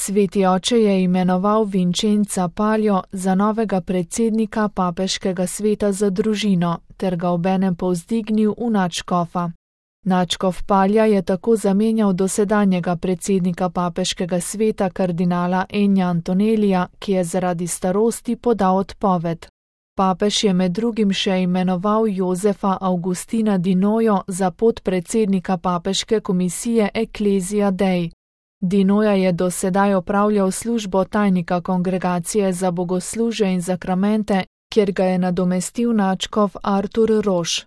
Sveti oče je imenoval Vincenza Palio za novega predsednika papeškega sveta za družino ter ga obenem povzdignil v nadškofa. Nadškof Palja je tako zamenjal dosedanjega predsednika papeškega sveta kardinala Ennija Antonellija, ki je zaradi starosti podal odpoved. Papež je med drugim še imenoval Josefa Augustina Di Noio za podpredsednika papeške komisije Ecclesia Dei. Di Noia je do sedaj opravljal službo tajnika kongregacije za bogoslužje in zakramente, kjer ga je nadomestil nadškof Artur Roš.